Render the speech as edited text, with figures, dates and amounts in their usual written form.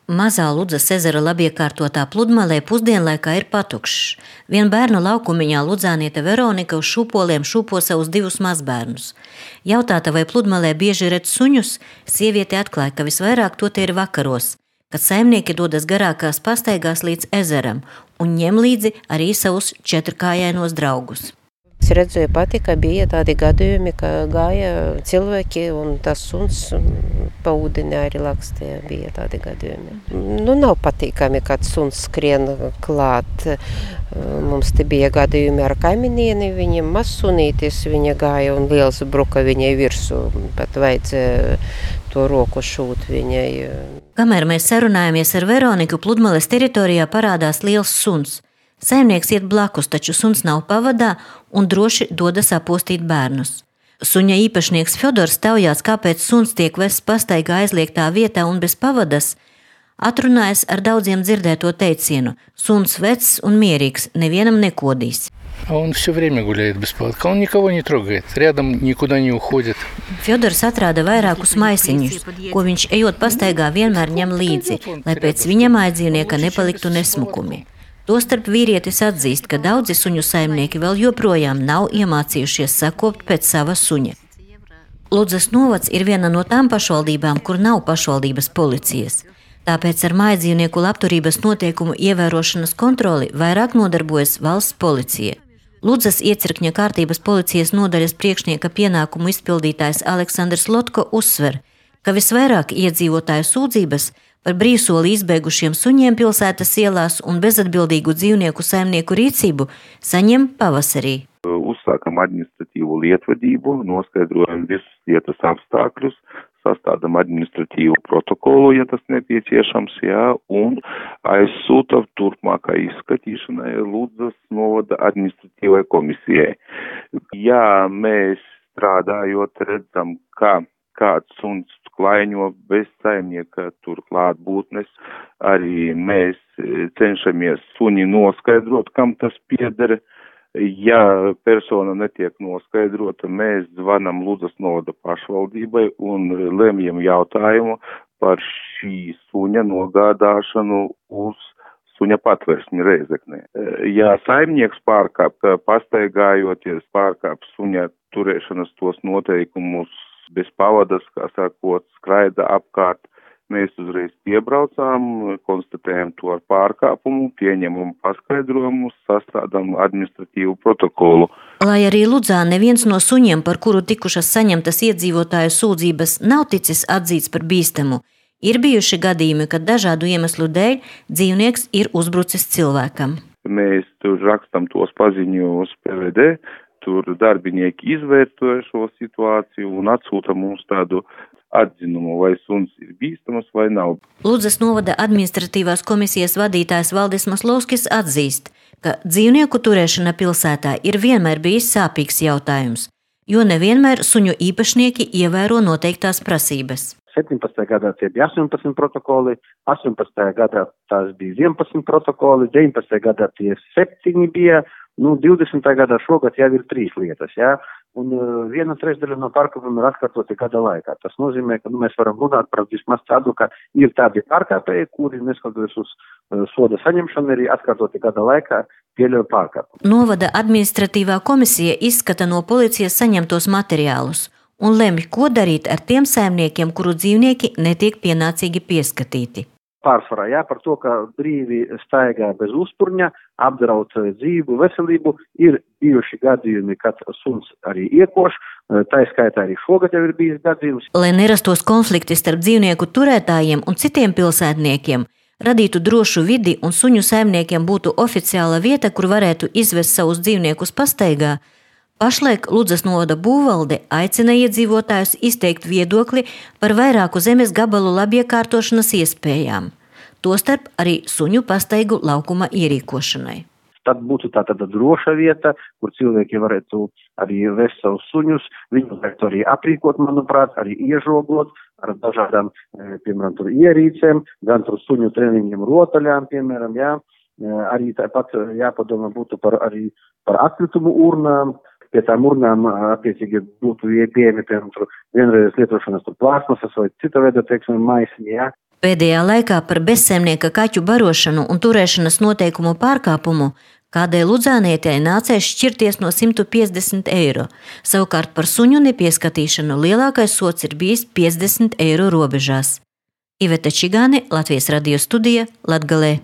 Mazā Ludzas ezera labiekārtotā pludmalē pusdienlaikā ir patukšs. Vien bērnu laukumiņā ludzāniete Veronika uz šūpoliem šūpo savus 2 mazbērnus. Jautāta, vai pludmalē bieži redz suņus, sieviete atklāja, ka visvairāk to te ir vakaros, kad saimnieki dodas garākās pastaigās līdz ezeram un ņem līdzi arī savus 4-kājainos draugus. Es redzēju pati, ka bija tādi gadījumi, ka gāja cilvēki un tas suns pa ūdeni arī lakstēja, bija tādi gadījumi. Nav patīkami, kad suns skrien klāt. Mums te bija gadījumi ar kaiminieni, viņa mazsunītis, viņa gāja un liels bruka viņai virsū, pat vajadzēja to roku šūt viņai. Kamēr mēs sarunājamies ar Veroniku, pludmales teritorijā parādās liels suns. Saimnieks iet blakus, taču suns nav pavadā un droši dodas apostīt bērnus. Suņa īpašnieks Fjodors taujās, kāpēc suns tiek vests pastaigā aizliegtā vietā un bez pavadas, atrunājas ar daudziem dzirdēto teicienu: suns vecs un mierīgs, nevienam nekodīs. Он все время гуляет без поводка, он никого не трогает, рядом никуда не уходит. Fjodors atrāda vairākus maisiņus, ko viņš ejot pastaigā vienmēr ņem līdzi, lai pēc viņa mājdzīvnieka nepaliktu nesmukumi. Tostarp vīrietis atzīst, ka daudzi suņu saimnieki vēl joprojām nav iemācījušies sakopt pēc sava suņa. Ludzas novads ir viena no tām pašvaldībām, kur nav pašvaldības policijas. Tāpēc ar mājdzīvnieku labturības noteikumu ievērošanas kontroli vairāk nodarbojas valsts policija. Ludzas iecirkņa kārtības policijas nodaļas priekšnieka pienākumu izpildītājs Aleksandrs Lotko uzsver, ka visvairāk iedzīvotāju sūdzības par brīvsoli izbeigušiem suņiem pilsētas ielās un bezatbildīgu dzīvnieku saimnieku rīcību saņem pavasarī. Uzsākam administratīvu lietvedību, noskaidrojam visus lietas apstākļus, sastādam administratīvu protokolu, ja tas nepieciešams, un aizsūtam turpmākai izskatīšanai Ludzas novada administratīvai komisijai. Ja mēs strādājot redzam, ka kāds suns klaiņo bez saimnieka turklāt būtnes, arī mēs cenšamies suni noskaidrot, kam tas pieder. Ja persona netiek noskaidrota, mēs zvanam Ludzas novada pašvaldībai un lemjam jautājumu par šī suņa nogādāšanu uz suņa patversmi Reizeknē. Ja saimnieks pastaigājoties pārkāp suņa turēšanas tos noteikumus bez pavadas, kā sakot, skraida apkārt, mēs uzreiz piebraucām, konstatējam to ar pārkāpumu, pieņemam paskaidrojumus, sastādām administratīvu protokolu. Lai arī Ludzā neviens no suņiem, par kuru tikušas saņemtas iedzīvotāju sūdzības, nav ticis atzīts par bīstamu, ir bijuši gadījumi, kad dažādu iemeslu dēļ dzīvnieks ir uzbrucis cilvēkam. Mēs tur rakstam tos paziņojumus PVD, tur darbinieki izvērtoja šo situāciju un atsūta mums tādu atzinumu, vai suns ir bīstamas vai nav. Ludzas novada administratīvās komisijas vadītājs Valdis Maslovskis atzīst, ka dzīvnieku turēšana pilsētā ir vienmēr bijis sāpīgs jautājums, jo nevienmēr suņu īpašnieki ievēro noteiktās prasības. 17. gadā tie bija 18 protokoli, 18. gadā tās bija 11 protokoli, 19. gadā tie 7 bija, 20. gadā šogad jau ir 3 lietas, un 1/3 no pārkāpumiem ir atkārtoti gada laikā. Tas nozīmē, ka mēs varam runāt par vismaz tādu, ka ir tādi pārkāpēji, kuri neskatoties uz soda saņemšanu arī atkārtoti gada laikā pieļauj pārkāpumu. Novada administratīvā komisija izskata no policijas saņemtos materiālus un lemj, ko darīt ar tiem saimniekiem, kuru dzīvnieki netiek pienācīgi pieskatīti. Pārsvarā, par to, ka brīvi staigā bez uzturņa, apdraud dzīvu veselību, ir bijuši gadījumi, kad suns arī iekoš, tā skaitā arī šogad jau ir bijis gadījums. Lai nerastos konflikti starp dzīvnieku turētājiem un citiem pilsētniekiem, radītu drošu vidi un suņu saimniekiem būtu oficiāla vieta, kur varētu izvest savus dzīvniekus pastaigā, pašlaik Ludzas novada būvvalde aicina iedzīvotājus izteikt viedokli par vairāku zemes gabalu labiekārtošanas iespējām, tostarp arī suņu pastaigu laukuma ierīkošanai. Tad būtu tāda droša vieta, kur cilvēki varētu arī vest savus suņus, viņu varētu arī aprīkot, manuprāt, arī iežogot ar dažādām, piemēram, tur ierīcēm, gan tur suņu treniņiem rotaļām, piemēram, arī tāpat jāpadomā būtu par atkritumu urnām. Pie tām urnām attiecīgi būtu pieejami, piemēram, vienreiz lietošanas plāsmasas vai cita veida, maisiņi, Pēdējā laikā par bezsaimnieka kaķu barošanu un turēšanas noteikumu pārkāpumu kādai Ludzānietei nācēs šķirties no 150 eiro. Savukārt par suņu nepieskatīšanu lielākais sods ir bijis 50 eiro robežās. Iveta Čigāne, Latvijas radio studija, Latgalē.